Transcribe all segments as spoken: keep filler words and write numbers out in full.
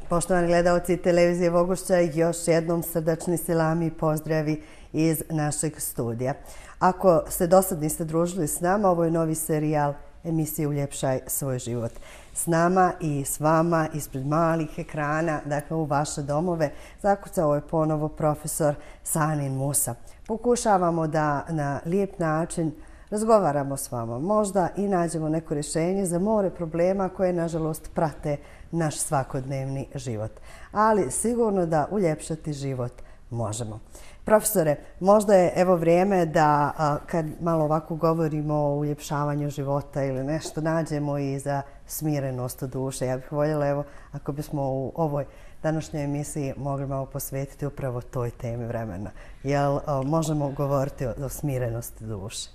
Poštovani gledalci televizije Vogošća, još jednom srdačni selami i pozdravi iz našeg studija. Ako se do sad niste družili s nama, ovo je novi serijal emisije Uljepšaj svoj život. S nama i s vama ispred malih ekrana, dakle u vaše domove, zakucao je ponovo profesor Sanin Musa. Pokušavamo da na lijep način razgovaramo s vama, možda i nađemo neko rješenje za more problema koje, nažalost, prate naš svakodnevni život. Ali sigurno da uljepšati život možemo. Profesore, možda je evo vrijeme da kad malo ovako govorimo o uljepšavanju života ili nešto, nađemo i za smirenost duše. Ja bih voljela, evo, ako bismo u ovoj današnjoj emisiji mogli malo posvetiti upravo toj temi vremena. Jel možemo govoriti o smirenosti duše?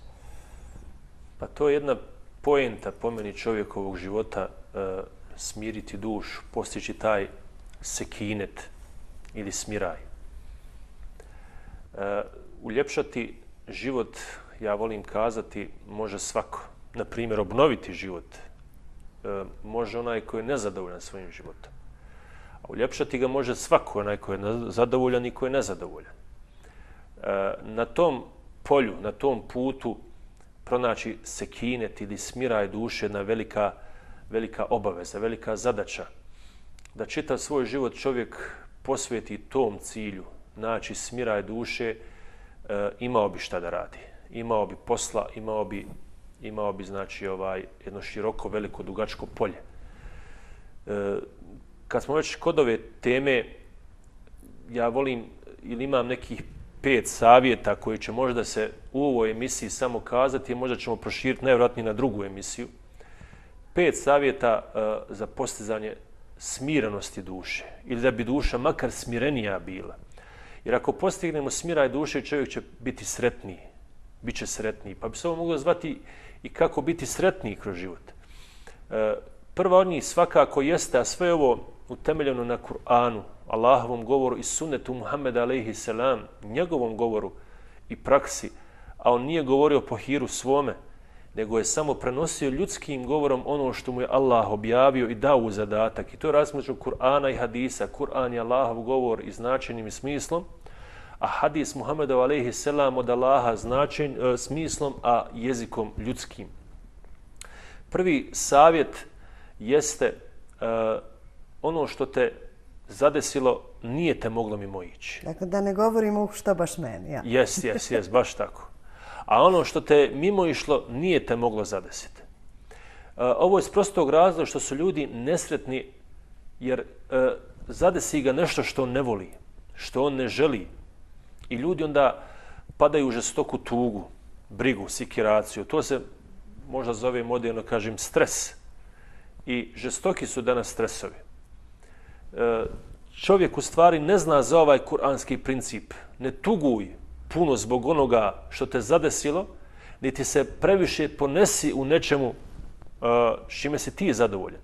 Pa to je jedna poenta po meni čovjekovog života, e, smiriti dušu, postići taj sekinet ili smiraj. E, uljepšati život, ja volim kazati, može svako. Na primjer, obnoviti život e, može onaj koji je nezadovoljan svojim životom. A uljepšati ga može svako, onaj koji je zadovoljan i koji je nezadovoljan. E, na tom polju, na tom putu, pronaći sekinet ili smiraj duše, jedna velika, velika obaveza, velika zadaća. Da čitav svoj život čovjek posveti tom cilju, naći smiraj duše, e, imao bi šta da radi. Imao bi posla, imao bi, imao bi znači, ovaj, jedno široko, veliko, dugačko polje. E, kad smo već kod ove teme, ja volim ili imam nekih pet savjeta koji će možda se u ovoj emisiji samo kazati, možda ćemo proširiti najvjerojatnije na drugu emisiju. Pet savjeta uh, za postizanje smirenosti duše ili da bi duša makar smirenija bila. Jer ako postignemo smiraj duše, čovjek će biti sretniji, bit će sretniji. Pa bi se ovo moglo zvati i kako biti sretniji kroz život. Uh, prva od njih svakako jeste, a sve ovo utemeljeno na Kur'anu, Allahovom govoru i sunnetu Muhammeda alejhi selam, njegovom govoru i praksi, a on nije govorio po hiru svome, nego je samo prenosio ljudskim govorom ono što mu je Allah objavio i dao u zadatak. I to je razmeđu Kur'ana i hadisa. Kur'an je Allahov govor i značenjem i smislom, a hadis Muhammeda alejhi selam od Allaha značen, e, smislom, a jezikom ljudskim. Prvi savjet jeste e, ono što te zadesilo, nije te moglo mimo ići. Dakle, da ne govorimo što baš meni. Ja. Jes, jes, jes, baš tako. A ono što te mimo išlo, nije te moglo zadesiti. Ovo je iz prostog razloga što su ljudi nesretni, jer e, zadesi ga nešto što on ne voli, što on ne želi. I ljudi onda padaju u žestoku tugu, brigu, sikiraciju. To se možda zove moderno, kažem, stres. I žestoki su danas stresovi. E, čovjek u stvari ne zna za ovaj kuranski princip. Ne tuguj puno zbog onoga što te zadesilo, niti se previše ponesi u nečemu s čime si ti zadovoljan.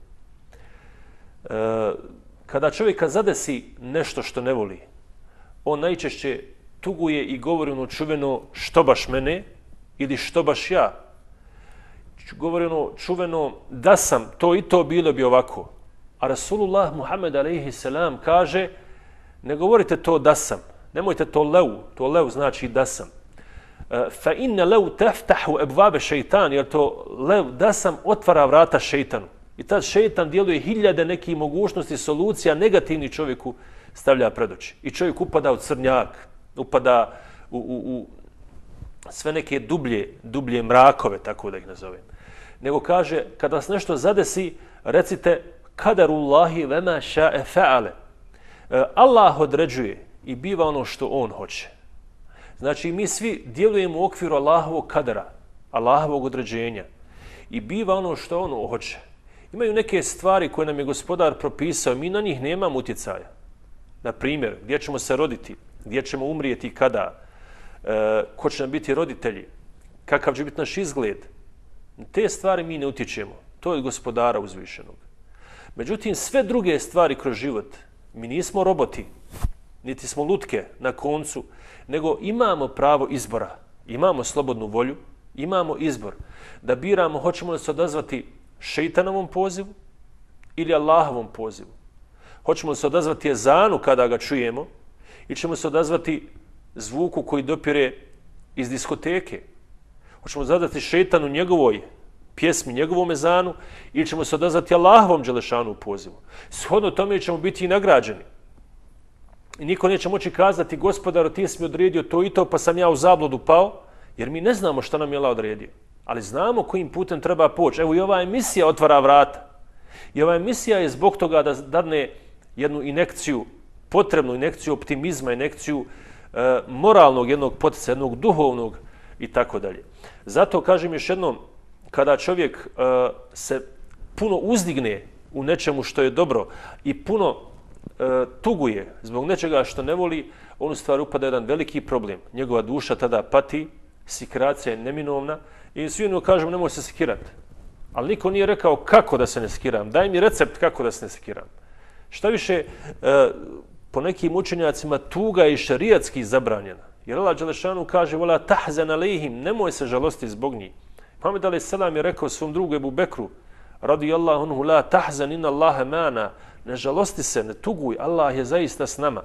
Kada čovjeka zadesi nešto što ne voli, on najčešće tuguje i govori ono čuveno što baš mene ili što baš ja. Govori ono čuveno da sam to i to bilo bi ovako. A Rasulullah Muhammed alejhi selam kaže ne govorite to da sam. Nemojte to lev, to lev znači da sam. Fa inna lev teftahu ebvabe šeitan, jer to lev da sam otvara vrata šeitanu. I tad šeitan djeluje hiljade nekih mogućnosti, solucija negativni čovjeku stavlja pred oči. I čovjek upada u crnjak, upada u, u, u sve neke dublje, dublje mrakove, tako da ih nazovem. Nego kaže, kada vas nešto zadesi, recite kadarullahi vema ša'e fa'ale. Allah određuje i biva ono što on hoće. Znači, mi svi djelujemo u okviru Allahovog kadera, Allahovog određenja. I biva ono što on hoće. Imaju neke stvari koje nam je gospodar propisao, mi na njih nemamo utjecaja. Na primjer, gdje ćemo se roditi, gdje ćemo umrijeti i kada, e, ko će nam biti roditelji, kakav će biti naš izgled. Te stvari mi ne utječemo. To je gospodara uzvišenog. Međutim, sve druge stvari kroz život, mi nismo roboti, niti smo lutke na koncu, nego imamo pravo izbora, imamo slobodnu volju, imamo izbor da biramo hoćemo li se odazvati šeitanovom pozivu ili Allahovom pozivu. Hoćemo li se odazvati ezanu kada ga čujemo ili ćemo se odazvati zvuku koji dopire iz diskoteke? Hoćemo se odazvati šetanu njegovoj pjesmi, njegovom ezanu ili ćemo se odazvati Allahovom dželešanu pozivu? Shodno tome ćemo biti i nagrađeni. I niko neće moći kazati, gospodaru, ti si mi odredio to i to, pa sam ja u zabludu pao, jer mi ne znamo šta nam je Allah odredio. Ali znamo kojim putem treba poći. Evo i ova emisija otvara vrata. I ova emisija je zbog toga da dadne jednu injekciju, potrebnu injekciju optimizma, injekciju e, moralnog jednog poticaja, jednog duhovnog i tako dalje. Zato kažem još jednom, kada čovjek e, se puno uzdigne u nečemu što je dobro i puno e, tuguje zbog nečega što ne voli, on u stvari upada jedan veliki problem. Njegova duša tada pati, sikracija je neminovna i svi ono kažemo nemoj se sikirati. Ali niko nije rekao kako da se ne sikiram. Daj mi recept kako da se ne sikiram. Šta više, e, po nekim učenjacima tuga je i šerijatski zabranjena. Jer Allah dželešanu kaže wala tahzan alejhim, nemoj se žalosti zbog njih. Muhammed alejhi selam je rekao svom drugu Ebu Bekru radijallahu anhu la tahzan inna Allaha mana, ne žalosti se, ne tuguj, Allah je zaista s nama.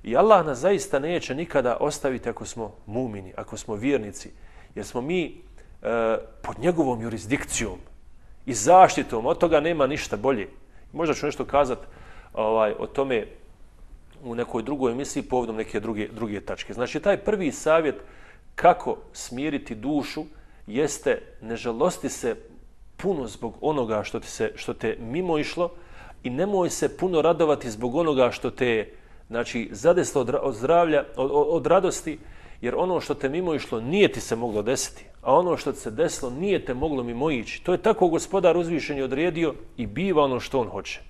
I Allah nas zaista neće nikada ostaviti ako smo mumini, ako smo vjernici, jer smo mi e, pod njegovom jurisdikcijom i zaštitom, od toga nema ništa bolje. Možda ću nešto kazati ovaj, o tome u nekoj drugoj emisiji povodom neke druge, druge tačke. Znači, taj prvi savjet kako smiriti dušu jeste ne žalosti se puno zbog onoga što, ti se, što te mimo išlo i nemoj se puno radovati zbog onoga što te znači, zadeslo od, od zdravlja, od, od radosti, jer ono što te mimo išlo nije ti se moglo desiti, a ono što ti se desilo nije te moglo mimo ići. To je tako gospodar uzvišeni odredio i biva ono što on hoće.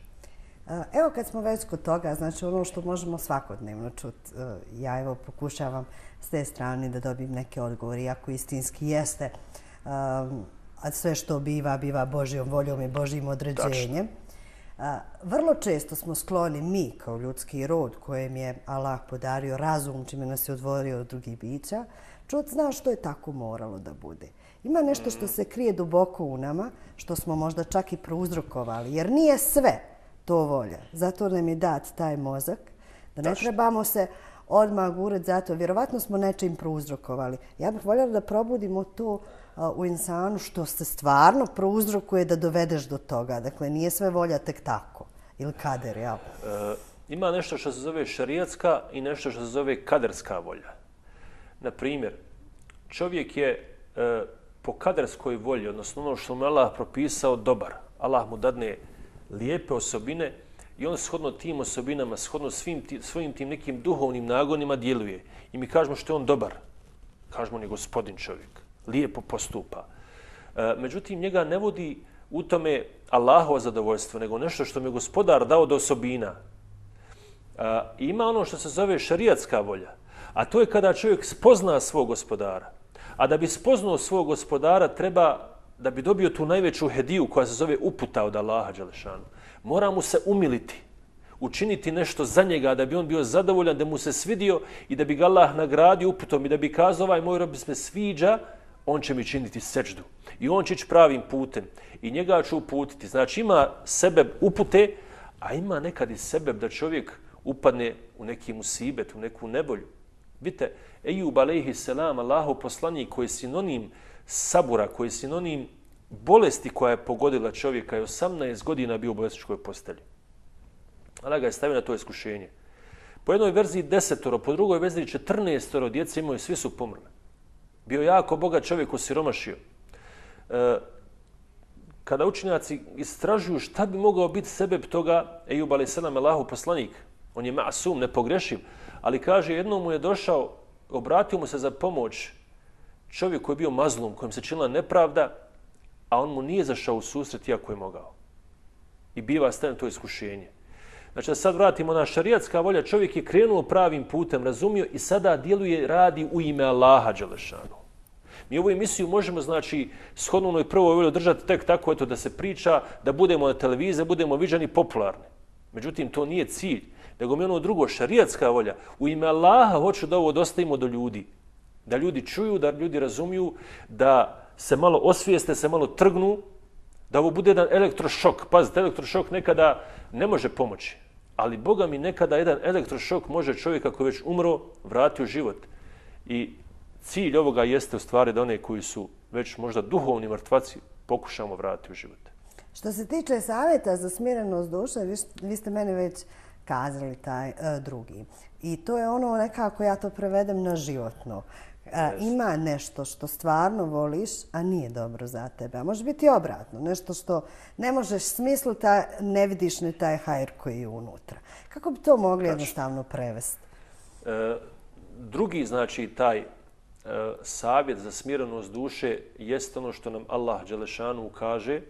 Evo kad smo već kod toga, znači ono što možemo svakodnevno čuti, ja evo pokušavam s te strane da dobijem neke odgovore, iako istinski jeste, a sve što biva, biva Božjom voljom i Božjim određenjem. Vrlo često smo skloni mi kao ljudski rod kojem je Allah podario razum, čime nas je odvorio od drugih bića, čut zna što je tako moralo da bude. Ima nešto što se krije duboko u nama, što smo možda čak i prouzrokovali, jer nije sve to volja. Zato nam je dat taj mozak, da ne trebamo se odmah gurati zato. Vjerovatno smo nečim prouzrokovali. Ja bih voljela da probudimo to u insanu što se stvarno prouzrokuje da dovedeš do toga. Dakle, nije sve volja tek tako. Ili kader, jel? E, ima nešto što se zove šerijatska i nešto što se zove kaderska volja. Na primjer, čovjek je e, po kaderskoj volji, odnosno ono što mu Allah propisao, dobar. Allah mu dadne lijepe osobine i on shodno tim osobinama, shodno svim ti, svojim tim nekim duhovnim nagonima djeluje. I mi kažemo što je on dobar. Kažemo on je gospodin čovjek. Lijepo postupa. E, međutim, njega ne vodi u tome Allahovo zadovoljstvo, nego nešto što mi je gospodar dao do osobina. E, ima ono što se zove šerijatska volja, a to je kada čovjek spozna svog gospodara. A da bi spoznao svog gospodara treba da bi dobio tu najveću hediju koja se zove uputa od Allaha dželešanu. Mora mu se umiliti, učiniti nešto za njega da bi on bio zadovoljan, da mu se svidio i da bi ga Allah nagradio uputom i da bi kazao ovaj moj rob se sviđa, on će mi činiti sećdu. I on će ići pravim putem. I njega ću uputiti. Znači ima sebeb upute, a ima nekad i sebeb da čovjek upadne u neki musibet, u neku nebolju. Vidite, Ejub alejhi selam, Allahov poslanik koji je sinonim sabura, koji je sinonim bolesti koja je pogodila čovjeka i osamnaest godina bio u bolesničkoj postelji. Allah ga je stavio na to iskušenje. Po jednoj verziji desetoro, po drugoj verziji četrnaestoro djece imaju, svi su pomrli. Bio jako bogat čovjek, osiromašio. E, kada učenjaci istražuju šta bi mogao biti sebeb toga, Ejub alejhi selam, Allahov poslanik, on je masum, nepogrešiv, ali kaže jednom mu je došao, obratio mu se za pomoć čovjek koji je bio mazlum, kojem se činila nepravda, a on mu nije zašao u susret iako je mogao. I biva stavljeno to iskušenje. Znači da sad vratimo na šarijatska volja, čovjek je krenuo pravim putem, razumio i sada djeluje, radi u ime Allaha dželešanu. Mi ovu emisiju možemo, znači, shodno onoj prvoj volji držati tek tako, eto, da se priča, da budemo na televiziji, budemo viđani popularni. Međutim, to nije cilj, nego mi ono drugo, šarijatska volja. U ime Allaha hoću da ovo dostavimo do ljudi. Da ljudi čuju, da ljudi razumiju, da se malo osvijeste, se malo trgnu, da ovo bude jedan elektrošok. Pazite, elektrošok nekada ne može pomoći, Ali Boga mi nekada jedan elektrošok može čovjeka koji već umro vrati u život. I cilj ovoga jeste u stvari da one koji su već možda duhovni mrtvaci pokušamo vratiti u život. Što se tiče savjeta za smirenost duše, vi, vi ste meni već kazali taj uh, drugi. I to je ono nekako ja to prevedem na životno. Uh, ima nešto što stvarno voliš, a nije dobro za tebe. A može biti obratno. Nešto što ne možeš smisliti, a ne vidiš ni taj hajr koji je unutra. Kako bi to mogli Kač. jednostavno prevesti? E, drugi, znači, taj e, savjet za smirenost duše jeste ono što nam Allah dželešanu kaže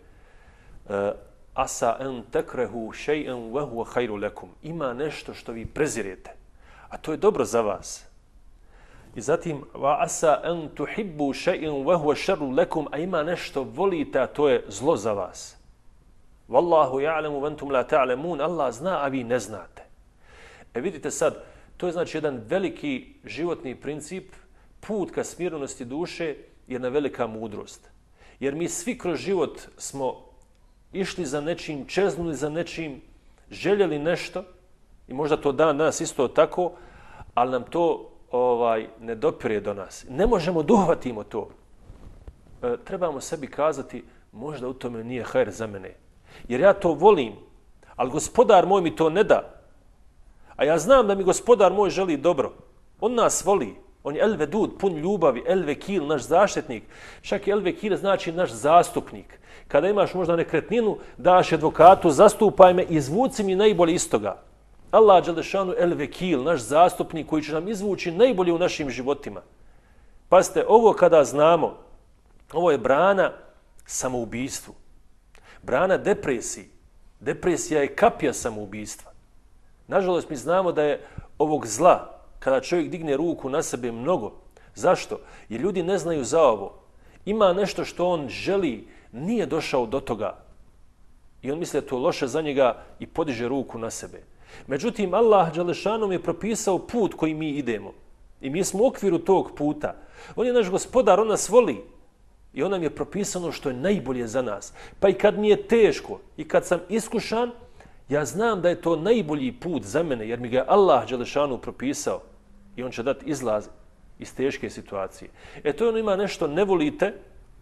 e, asa en tekrehu še'en wa huwa hajru lekum. Ima nešto što vi prezirete, a to je dobro za vas. I zatim wa asa en tuhibbu še'en wa huwa šerru lekum, a ima nešto volite, a to je zlo za vas. Wallahu ja'lemu ventum la ta'lemun. Allah zna, a vi ne znate. E vidite sad, to je znači jedan veliki životni princip, put ka smirenosti duše, jedna velika mudrost. Jer mi svi kroz život smo išli za nečim, čeznuli za nečim, željeli nešto i možda to dan danas isto tako, ali nam to ovaj ne dopire do nas. Ne možemo da uhvatimo to. E, trebamo sebi kazati, možda u tome nije hajr za mene. Jer ja to volim, ali gospodar moj mi to ne da. A ja znam da mi gospodar moj želi dobro. On nas voli. On je El Vedud, pun ljubavi, El Vekil, naš zaštitnik. Čak i El Vekil znači naš zastupnik. Kada imaš možda nekretninu, daš advokatu, zastupaj me, izvuci mi najbolje iz toga. Allah dželešanu El Vekil, naš zastupnik koji će nam izvući najbolje u našim životima. Pazite, ovo kada znamo, ovo je brana samoubistvu. Brana depresiji. Depresija je kapija samoubijstva. Nažalost, mi znamo da je ovog zla, kada čovjek digne ruku na sebe, mnogo. Zašto? Jer ljudi ne znaju za ovo. Ima nešto što on želi, nije došao do toga. I on misli da to loše za njega i podiže ruku na sebe. Međutim, Allah dželešanom je propisao put koji mi idemo. I mi smo u okviru tog puta. On je naš gospodar, on nas voli. I on nam je propisano što je najbolje za nas. Pa i kad mi je teško i kad sam iskušan, ja znam da je to najbolji put za mene, jer mi ga je Allah dželešanu propisao. I on će dati izlaz iz teške situacije. E to je ono, ima nešto ne volite,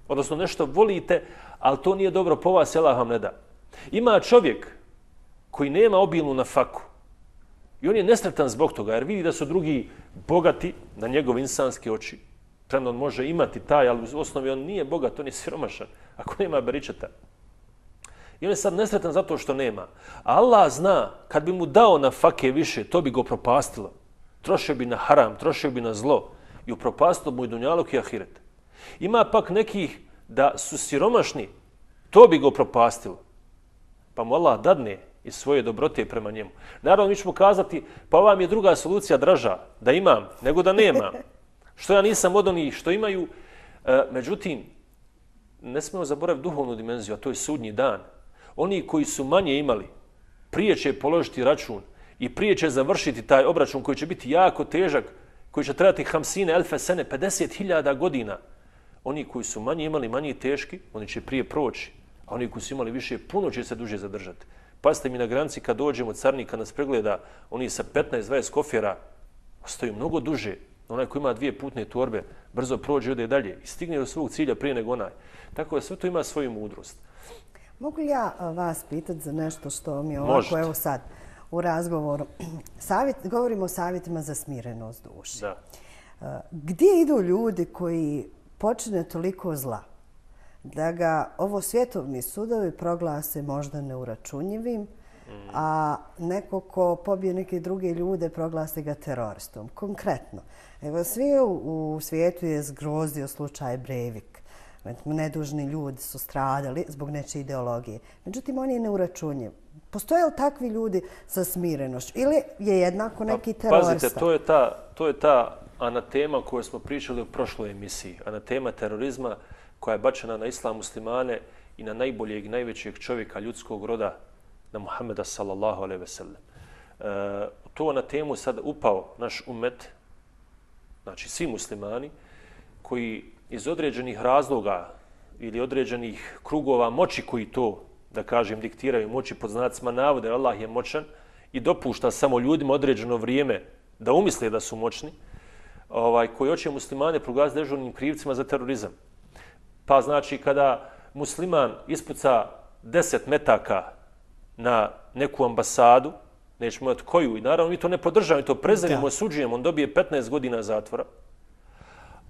odnosno nešto volite, ali to nije dobro po vas, Allah vam ne da. Ima čovjek koji nema obilnu nafaku. I on je nesretan zbog toga, jer vidi da su drugi bogati na njegove insanske oči. Premda on može imati taj, ali u osnovi on nije bogat, on je siromašan, ako nema beričeta. I on je sad nesretan zato što nema. A Allah zna, kad bi mu dao na fake više, to bi go propastilo. Trošio bi na haram, trošio bi na zlo i upropastilo mu i dunjaluk i ahiret. Ima pak nekih da su siromašni, to bi go propastilo. Pa mu Allah dadne iz svoje dobrote prema njemu. Naravno, mi ćemo kazati, pa ova mi je druga solucija draža, da imam, nego da nemam. Što ja nisam od onih što imaju. E, međutim, ne smemo zaboraviti duhovnu dimenziju, a to je sudnji dan. Oni koji su manje imali, prije će položiti račun i prije će završiti taj obračun koji će biti jako težak, koji će trebati hamsine, elfe sene, pedeset hiljada godina. Oni koji su manje imali, manje teški, oni će prije proći, a oni koji su imali više, puno će se duže zadržati. Pazite mi na granici kad dođemo, carnika nas pregleda, oni sa petnaest dvadeset kofjera ostaju mnogo duže. Onaj koji ima dvije putne torbe, brzo prođe, ode dalje i stigne do svog cilja prije nego onaj. Tako da sve to ima svoju mudrost. Mogu li ja vas pitati za nešto što mi je ovako, Možete. Evo sad, u razgovoru. Savjet, govorimo o savjetima za smirenost duše. Da. Gdje idu ljudi koji počine toliko zla da ga ovo svjetovni sudovi proglase možda neuračunjivim, a neko ko pobije neke druge ljude proglasi ga teroristom? Konkretno, evo svi u, u svijetu je zgrozio slučaj Breivik. Nedužni ljudi su stradali zbog nečije ideologije. Međutim, on je neuračunjiv. Postoje li takvi ljudi sa smirenošću? Ili je jednako neki pa, terorista? Pazite, to je ta, to je ta anatema koju smo pričali u prošloj emisiji. Anatema terorizma koja je bačena na islam muslimane i na najboljeg i najvećeg čovjeka ljudskog roda, na Muhammeda sallallahu alejhi ve sellem. E, to na temu sad upao naš umet, znači svi muslimani, koji iz određenih razloga ili određenih krugova moći koji to, da kažem, diktiraju, moći pod znacima navode, Allah je moćan i dopušta samo ljudima određeno vrijeme da umisle da su moćni, ovaj, koji hoće muslimane proglasiti dežurnim krivcima za terorizam. Pa znači kada musliman ispuca deset metaka na neku ambasadu, nećemo imati koju, i naravno mi to ne podržavamo, mi to preziremo, osuđujemo, on dobije petnaest godina zatvora.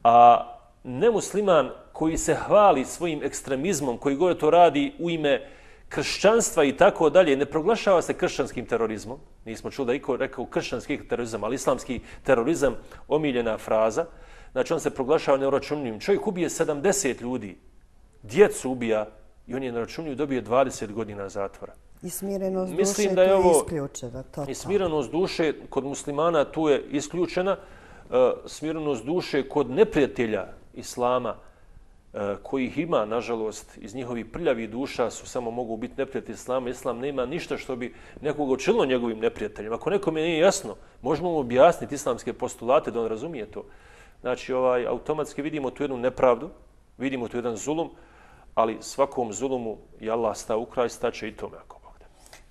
A nemusliman koji se hvali svojim ekstremizmom, koji gore to radi u ime kršćanstva i tako dalje, ne proglašava se kršćanskim terorizmom. Nismo čuli da iko rekao kršćanski terorizam, ali islamski terorizam, omiljena fraza. Znači on se proglašava neuračunljivim. Čovjek ubije sedamdeset ljudi, djecu ubija i on je neuračunljiv, dobije dvadeset godina zatvora. I smirenost duše Mislim da je tu ovo, je isključena. Totalno. I smirenost duše kod muslimana tu je isključena. Uh, smirenost duše kod neprijatelja islama, uh, kojih ima, nažalost, iz njihovih prljavih duša su samo mogu biti neprijatelji islama. Islam nema ništa što bi nekoga učinilo njegovim neprijateljima. Ako nekome nije jasno, možemo mu objasniti islamske postulate da on razumije to. Znači, ovaj, automatski vidimo tu jednu nepravdu, vidimo tu jedan zulum, ali svakom zulumu je Allah stao u kraj, staće i tome ako Bog da.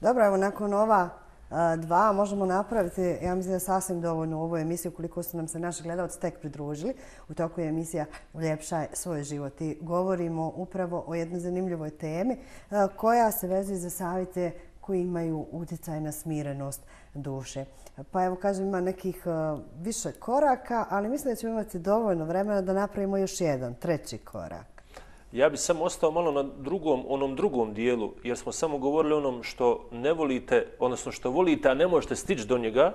Dobro, evo nakon ova a, dva možemo napraviti, ja mislim da sasvim dovoljno u ovoj emisiji, koliko su nam se naši gledalci tek pridružili. U toku je emisija Uljepšaj svoj život i govorimo upravo o jednoj zanimljivoj temi a, koja se vezuje za savjete koji imaju utjecaj na smirenost duše. Pa evo kažem, ima nekih uh, više koraka, ali mislim da ćemo imati dovoljno vremena da napravimo još jedan, treći korak. Ja bih samo ostao malo na drugom, onom drugom dijelu, jer smo samo govorili o onom što ne volite, odnosno što volite, a ne možete stići do njega,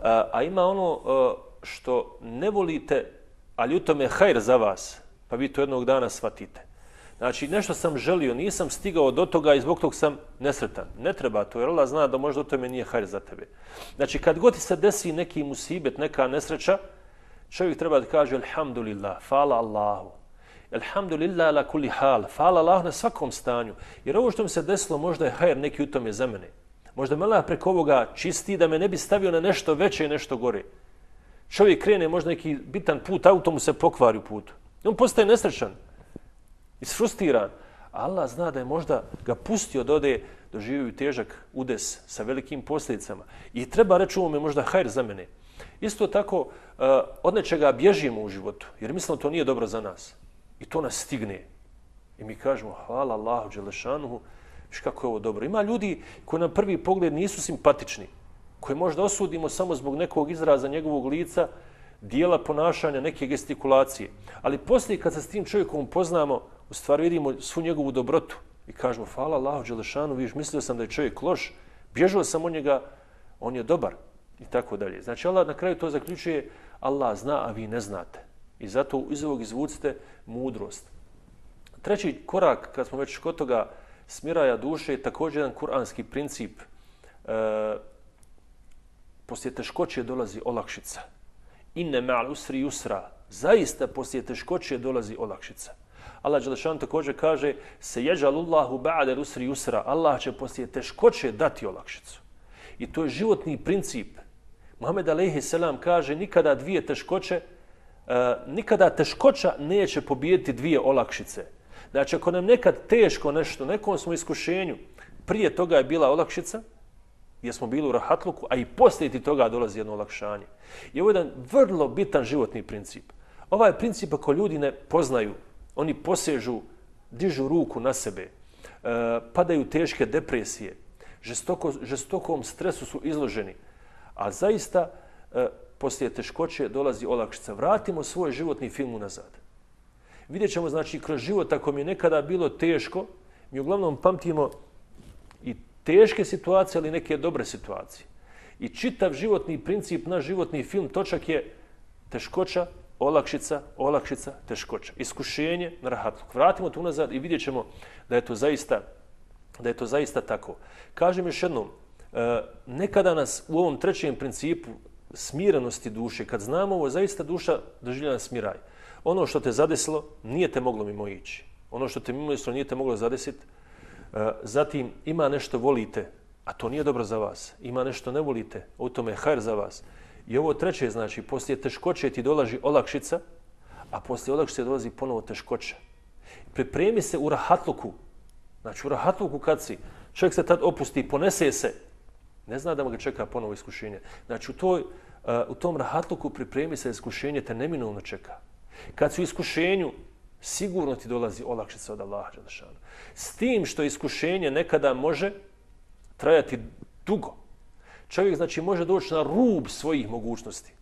a, a ima ono uh, što ne volite, ali u tome je hajr za vas, pa vi to jednog dana shvatite. Znači, nešto sam želio, nisam stigao do toga i zbog tog sam nesretan. Ne treba to, jer Allah zna da možda u tome nije hajr za tebe. Znači, kad god ti se desi neki musibet, neka nesreća, čovjek treba da kaže alhamdulillah, fala Allahu. Alhamdulillah ala kulli hal, fala Allahu na svakom stanju. Jer ovo što mi se desilo možda je hajr neki u tome za mene. Možda me Allah preko ovoga čisti da me ne bi stavio na nešto veće i nešto gore. Čovjek krene možda neki bitan put, auto mu se pokvari u putu. On postaje nesrećan. Isfrustiran. Allah zna da je možda ga pustio da ode, doživio težak udes sa velikim posljedicama. I treba reći ovo me možda hajr za mene. Isto tako, uh, od nečega bježimo u životu, jer mislimo to nije dobro za nas. I to nas stigne. I mi kažemo, hvala Allahu dželešanuhu, viš kako je ovo dobro. Ima ljudi koji na prvi pogled nisu simpatični, koje možda osudimo samo zbog nekog izraza njegovog lica, dijela ponašanja, neke gestikulacije. Ali poslije kad se s tim čovjekom upoznamo, u stvari vidimo svu njegovu dobrotu i kažemo, hvala Allahu dželešanu, viš, mislio sam da je čovjek loš, bježao sam od njega, on je dobar i tako dalje. Znači Allah na kraju to zaključuje, Allah zna, a vi ne znate. I zato iz ovog izvucite mudrost. Treći korak, kad smo već kod toga smiraja duše, je također jedan kuranski princip. E, poslije teškoće dolazi olakšica. Inne ma'al usri yusra. Zaista poslije teškoće dolazi olakšica. Allah dželešan također kaže se jeđalullahu ba'de usri yusra. Allah će poslije teškoće dati olakšicu. I to je životni princip. Muhammed alejhi selam kaže nikada dvije teškoće, uh, nikada teškoća neće pobijediti dvije olakšice. Znači ako nam nekad teško nešto, nekom smo iskušenju, prije toga je bila olakšica, jer smo bili u rahatluku, a i poslije ti toga dolazi jedno olakšanje. I ovo je jedan vrlo bitan životni princip. Ovaj princip ako ljudi ne poznaju, oni posežu, dižu ruku na sebe, e, padaju teške depresije, žestoko, žestokom stresu su izloženi, a zaista e, poslije teškoće dolazi olakšica. Vratimo svoj životni film unazad. Vidjet ćemo, znači, kroz život, ako mi je nekada bilo teško, mi uglavnom pamtimo i teške situacije, ali neke dobre situacije. I čitav životni princip, naš životni film, točak je teškoća, olakšica, olakšica, teškoća. Iskušenje na rahatluk. Vratimo to unazad i vidjet ćemo da je to zaista, da je to zaista tako. Kažem još jednom, nekada nas u ovom trećem principu smirenosti duše, kad znamo ovo, zaista duša doživljena smiraj. Ono što te zadesilo, nije te moglo mimo ići. Ono što te mimo ići, nije te moglo zadesiti. Zatim, ima nešto volite, a to nije dobro za vas. Ima nešto ne volite, u tome je hajr za vas. I ovo treće, znači, poslije teškoće ti dolazi olakšica, a poslije olakšice dolazi ponovo teškoća. Pripremi se u rahatluku. Znači, u rahatluku kad si, čovjek se tad opusti, ponese se, Ne zna da mu ga čeka ponovo iskušenje. Znači u, toj, uh, u tom rahatluku pripremi se iskušenje te neminovno čeka. Kad su u iskušenju, sigurno ti dolazi olakšica od Allaha dželešanu. S tim što iskušenje nekada može trajati dugo. Čovjek znači može doći na rub svojih mogućnosti.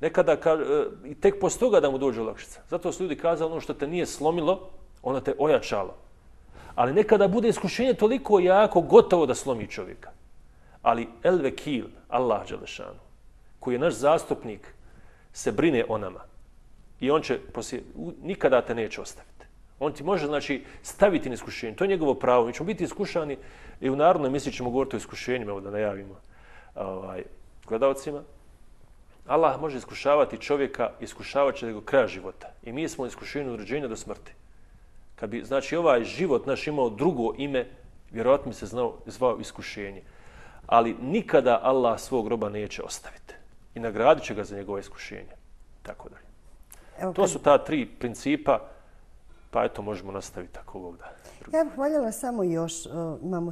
Nekada ka, i tek poslije toga da mu dođe olakšica. Zato su ljudi kazali ono što te nije slomilo, ono te ojačalo. Ali nekada bude iskušenje toliko jako gotovo da slomi čovjeka. Ali el vekil, Allah dželešanu, koji je naš zastupnik, se brine o nama. I on će poslije, nikada te neće ostaviti. On ti može znači staviti na iskušenje. To je njegovo pravo. Mi ćemo biti iskušani i u narodnoj emisiji ćemo govoriti o iskušenjima, evo da najavimo ovaj, gledalcima. Allah može iskušavati čovjeka, iskušavat će do kraja života. I mi smo iskušeni od rođenja do smrti. Kad bi znači ovaj život naš imao drugo ime, vjerojatno bi se znao, zvao iskušenje. Ali nikada Allah svog roba neće ostaviti. I nagradit će ga za njegove iskušenje. Tako dalje. Evo, to su ta tri principa, pa eto možemo nastaviti tako ovog da. Ja bih voljela samo još, imamo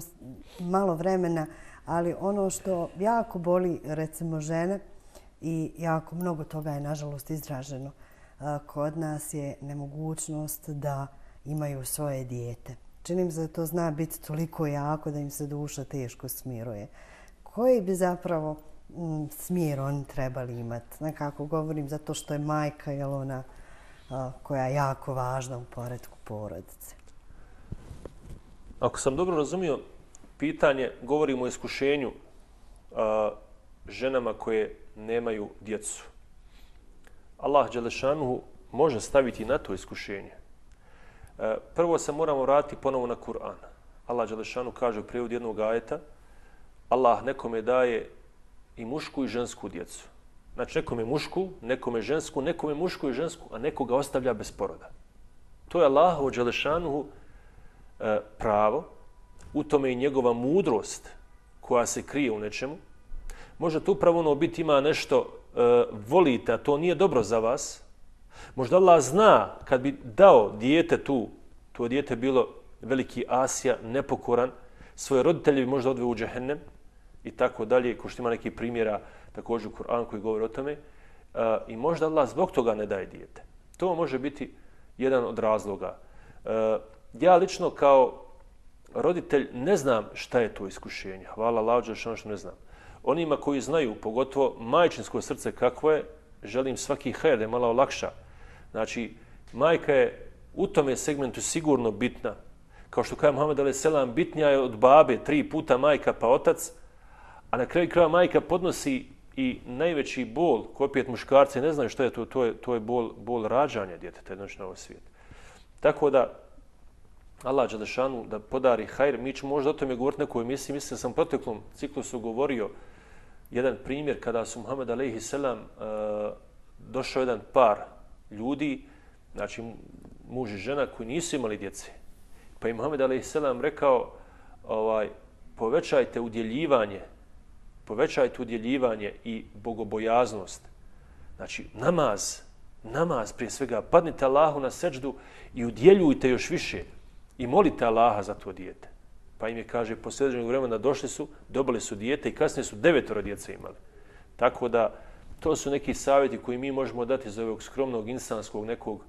malo vremena, ali ono što jako boli recimo žene i jako mnogo toga je nažalost izraženo kod nas je nemogućnost da imaju svoje dijete. Čini mi se da to zna biti toliko jako da im se duša teško smiruje. Koji bi zapravo mm, smir oni trebali imati? Nekako govorim zato što je majka je ona a, koja je jako važna u poretku porodice. Ako sam dobro razumio pitanje, govorimo o iskušenju a, ženama koje nemaju djecu. Allah dželešanuhu može staviti na to iskušenje. E, prvo se moramo vratiti ponovo na Kur'an. Allah dželešanu kaže u prijevodu jednog ajeta, Allah nekome daje i mušku i žensku djecu. Znači nekome mušku, nekome žensku, nekome mušku i žensku, a nekoga ostavlja bez poroda. To je Allahovo dželešanuhu e, pravo, u tome i njegova mudrost koja se krije u nečemu. Možda to upravo ono biti ima nešto e, volite, a to nije dobro za vas. Možda Allah zna kad bi dao dijete tu, to dijete bilo veliki asija, nepokoran, svoje roditelje bi možda odveo u džehennem i tako dalje, ko što ima neki primjera također u Kur'anu koji govori o tome. E, I možda Allah zbog toga ne daje dijete. To može biti jedan od razloga. E, ja lično kao roditelj ne znam šta je to iskušenje. Hvala Allahu što ne znam. Onima koji znaju, pogotovo majčinsko srce kakvo je, želim svaki hajr da je malo olakša. Znači, majka je u tome segmentu sigurno bitna. Kao što kaže Muhammed alejhi selam, bitnija je od babe tri puta majka pa otac, a na kraju kraja majka podnosi i najveći bol, koji opet muškarci ne znaju što je to, to je, to je bol, bol rađanja djeteta jednoć na ovaj svijet. Tako da, Allah dželešanu da podari hajr, mi ćemo možda o tome govoriti nekoj emisiji, mislim da sam u proteklom ciklusu govorio jedan primjer kada su Muhammed alejhi selam uh, došao jedan par ljudi, znači muž i žena koji nisu imali djece. Pa im Muhammed alejhi selam rekao, ovaj, povećajte udjeljivanje, povećajte udjeljivanje i bogobojaznost. Znači namaz, namaz prije svega, padnite Allahu na seđdu i udjeljujte još više i molite Allaha za to dijete. Pa im je, kaže, poslije određenog vremena došli su, dobili su dijete i kasnije su devetoro djece imali. Tako da, to su neki savjeti koji mi možemo dati iz ovog skromnog insanskog nekog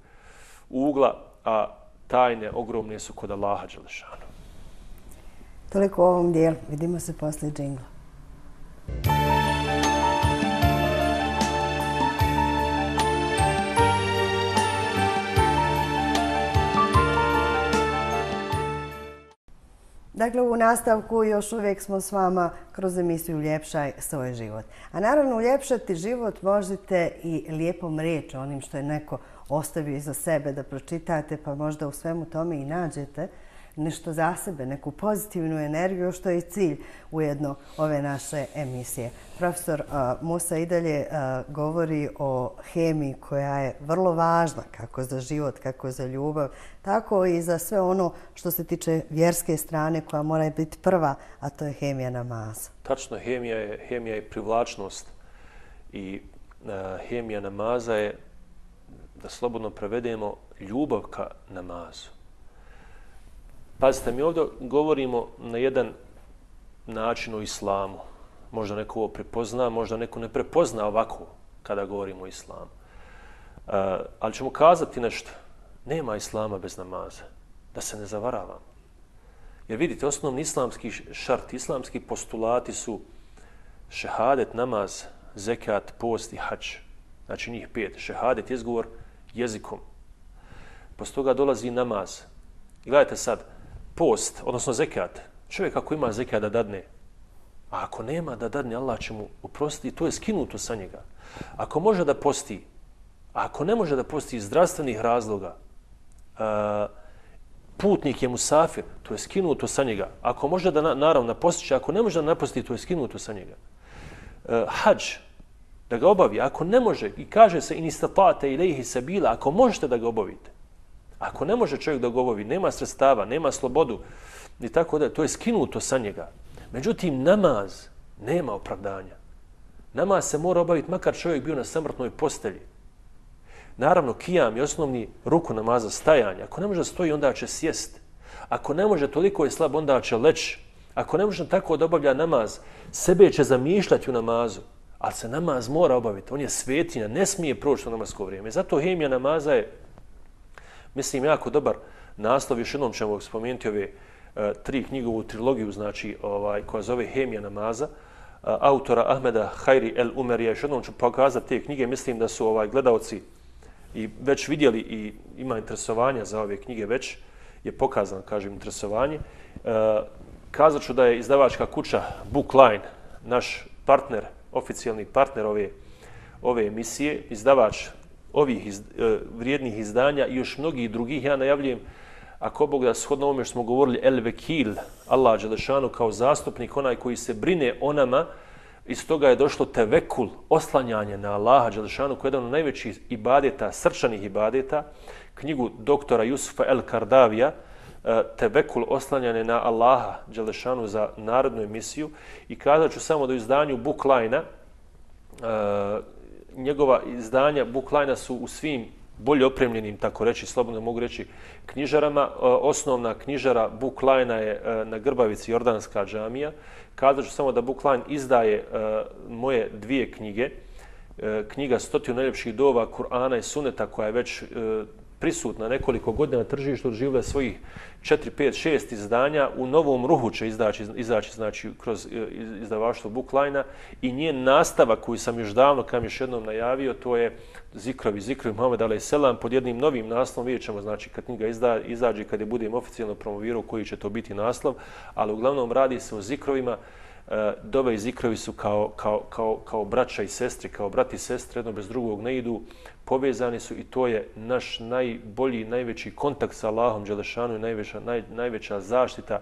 ugla, a tajne ogromne su kod Allaha dželešanu. Toliko u ovom dijelu. Vidimo se poslije džingla. Dakle, u nastavku još uvijek smo s vama kroz emisiju Uljepšaj svoj život. A naravno, uljepšati život možete i lijepom riječu, onim što je neko ostavio iza sebe da pročitate, pa možda u svemu tome i nađete nešto za sebe, neku pozitivnu energiju, što je i cilj ujedno ove naše emisije. Profesor uh, Musa i dalje uh, govori o hemiji koja je vrlo važna, kako za život, kako za ljubav, tako i za sve ono što se tiče vjerske strane koja mora biti prva, a to je hemija namaza. Tačno, hemija je, hemija je privlačnost i uh, hemija namaza je, da slobodno prevedemo, ljubav ka namazu. Pazite, mi ovdje govorimo na jedan način o islamu. možda neko ovo prepozna, možda neko ne prepozna ovako kada govorimo o islamu. Uh, ali ćemo kazati nešto. Nema islama bez namaza. Da se ne zavaravamo. Jer vidite, osnovni islamski šart, islamski postulati su šehadet, namaz, zekat, post i hadž. Znači njih pet. Šehadet je izgovor jezikom. Posto toga dolazi namaz. I gledajte sad, post, odnosno zekat. Čovjek ako ima zekat da dadne, a ako nema da dadne, Allah će mu oprostiti, to je skinuto sa njega. Ako može da posti, a ako ne može da posti iz zdravstvenih razloga, uh, putnik je musafir, to je skinuto sa njega. Ako može da, naravno, napostiće, ako ne može da naposti, to je skinuto sa njega. Uh, hadž, da ga obavi, ako ne može, i kaže se in istatate ilejhi sabila, ako možete da ga obavite. Ako ne može čovjek da ga obavi, nema sredstava, nema slobodu, i tako da, to je skinuto sa njega. Međutim, namaz nema opravdanja. Namaz se mora obaviti makar čovjek bio na samrtnoj postelji. Naravno, kijam je osnovni ruku namaza, stajanja. Ako ne može da stoji, onda će sjest. Ako ne može, toliko je slab, onda će leći. Ako ne može tako da obavlja namaz, sebe će zamišljati u namazu. Ali se namaz mora obaviti. On je svetinja, ne smije proći u namasko vrijeme. Zato hemija namaza je, mislim, jako dobar naslov. Još jednom ćemo spomenuti ove uh, tri knjigovu trilogiju, znači, ovaj, koja zove Hemija namaza, uh, autora Ahmeda Hajri El Umerija. Još jednom ću pokazati te knjige. Mislim da su ovaj, gledalci i već vidjeli i ima interesovanja za ove knjige, već je pokazano, kažem, interesovanje. Uh, kazat ću da je izdavačka kuća Bookline, naš partner, oficijalni partner ove, ove emisije, izdavač ovih iz, uh, vrijednih izdanja i još mnogih drugih. Ja najavljujem, ako Bog da shodno ovome što smo govorili, El Vekil, Allah Đelešanu kao zastupnik, onaj koji se brine o nama, iz toga je došlo tevekul, oslanjanje na Allaha Đelešanu, koji je jedan od najvećih ibadeta, srčanih ibadeta, knjigu doktora Jusufa El Kardavija, tevekul, oslanjanje na Allaha Đelešanu za narodnu emisiju. I kazat ću samo da u izdanju Bookline-a, njegova izdanja Bookline-a su u svim bolje opremljenim, tako reći, slobodno mogu reći, knjižarama. Osnovna knjižara Bookline-a je na Grbavici Jordanska džamija. Kazat ću samo da Bookline izdaje uh, moje dvije knjige. Uh, knjiga Stotinu najljepših dova Kur'ana i Suneta, koja je već uh, prisutna nekoliko godina na tržištu, doživjela svojih četiri, pet, šest izdanja. U novom ruhu će izaći, izaći znači, kroz uh, izdavaštvo Bookline-a i njen nastavak koji sam još davno, kam još jednom najavio, to je Zikrovi, Zikrovi Muhammed alejhi selam pod jednim novim naslovom. Vidjet ćemo, znači, kad knjiga izda, izađe, kad je budem oficijalno promovirao koji će to biti naslov, ali uglavnom radi se o zikrovima. Dove i zikrovi su kao, kao, kao, kao braća i sestri, kao brat i sestre, jedno bez drugog ne idu, povezani su i to je naš najbolji, najveći kontakt sa Allahom Đelešanu i najveća, naj, najveća zaštita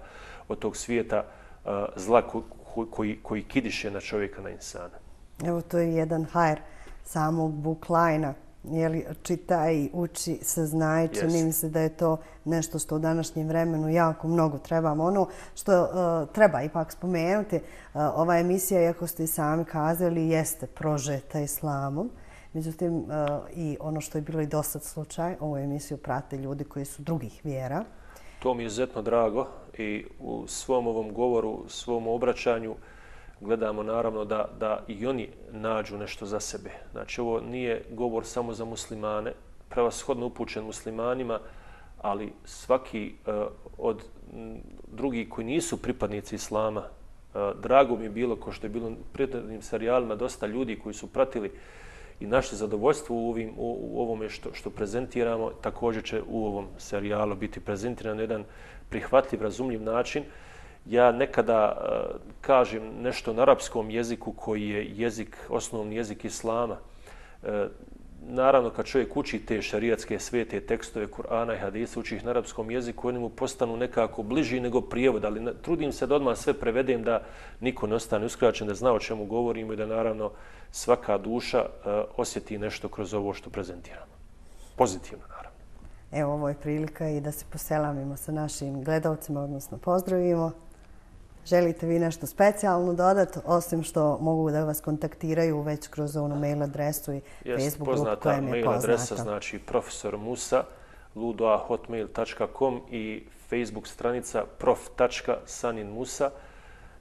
od tog svijeta uh, zla ko, ko, koji, koji kidiše na čovjeka, na insana. Evo, to je jedan hajr samog Bookline-a. Jeli, čitaj, uči, saznaj, čini mi se da je to nešto što u današnjem vremenu jako mnogo trebamo. Ono što uh, treba ipak spomenuti, uh, ova emisija, iako ste i sami kazali, jeste prožeta islamom. Međutim, uh, i ono što je bilo i dosad slučaj, ovu emisiju prate ljudi koji su drugih vjera. To mi je izuzetno drago i u svom ovom govoru, svom obraćanju, gledamo naravno da, da i oni nađu nešto za sebe. Znači, ovo nije govor samo za muslimane, prevashodno upućen muslimanima, ali svaki uh, od m, drugih koji nisu pripadnici islama, uh, drago mi je bilo, ko što je bilo u prethodnim serijalima, dosta ljudi koji su pratili i našli zadovoljstvo u, ovim, u, u ovome što, što prezentiramo, također će u ovom serijalu biti prezentiran na jedan prihvatljiv, razumljiv način. Ja nekada uh, kažem nešto na arapskom jeziku koji je jezik, osnovni jezik islama. Uh, naravno, kad čovjek uči te šarijatske svete tekstove Kur'ana i hadisa, uči ih na arapskom jeziku, oni mu postanu nekako bliži nego prijevod, ali trudim se da odmah sve prevedem da niko ne ostane uskraćen, da zna o čemu govorimo i da naravno svaka duša uh, osjeti nešto kroz ovo što prezentiramo. Pozitivno, naravno. Evo, ovo je prilika i da se poselamimo sa našim gledalcima, odnosno pozdravimo. Želite vi nešto specijalno dodati, osim što mogu da vas kontaktiraju već kroz onu mail adresu i Jest, Facebook grupu koja koja mi je mail poznata? Adresa, znači profesor musa ludoa hotmail tačka com i Facebook stranica prof tačka sanin musa.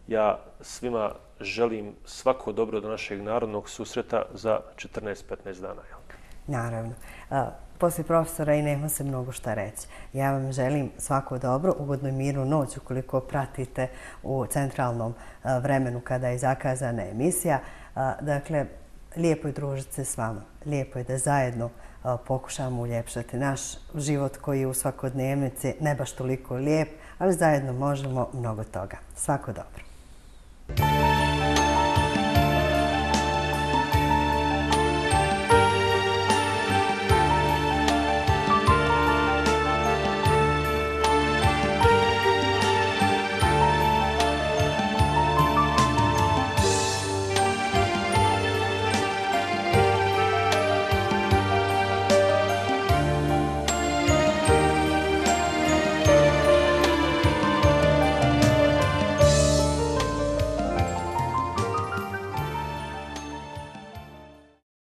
Ja svima želim svako dobro do našeg narodnog susreta za četrnaest petnaest dana. Naravno. Poslije profesora i nema se mnogo šta reći. Ja vam želim svako dobro, ugodnu i mirnu noć ukoliko pratite u centralnom vremenu kada je zakazana emisija. Dakle, lijepo je družiti se s vama. Lijepo je da zajedno pokušamo uljepšati naš život koji je u svakodnevnici ne baš toliko lijep, ali zajedno možemo mnogo toga. Svako dobro.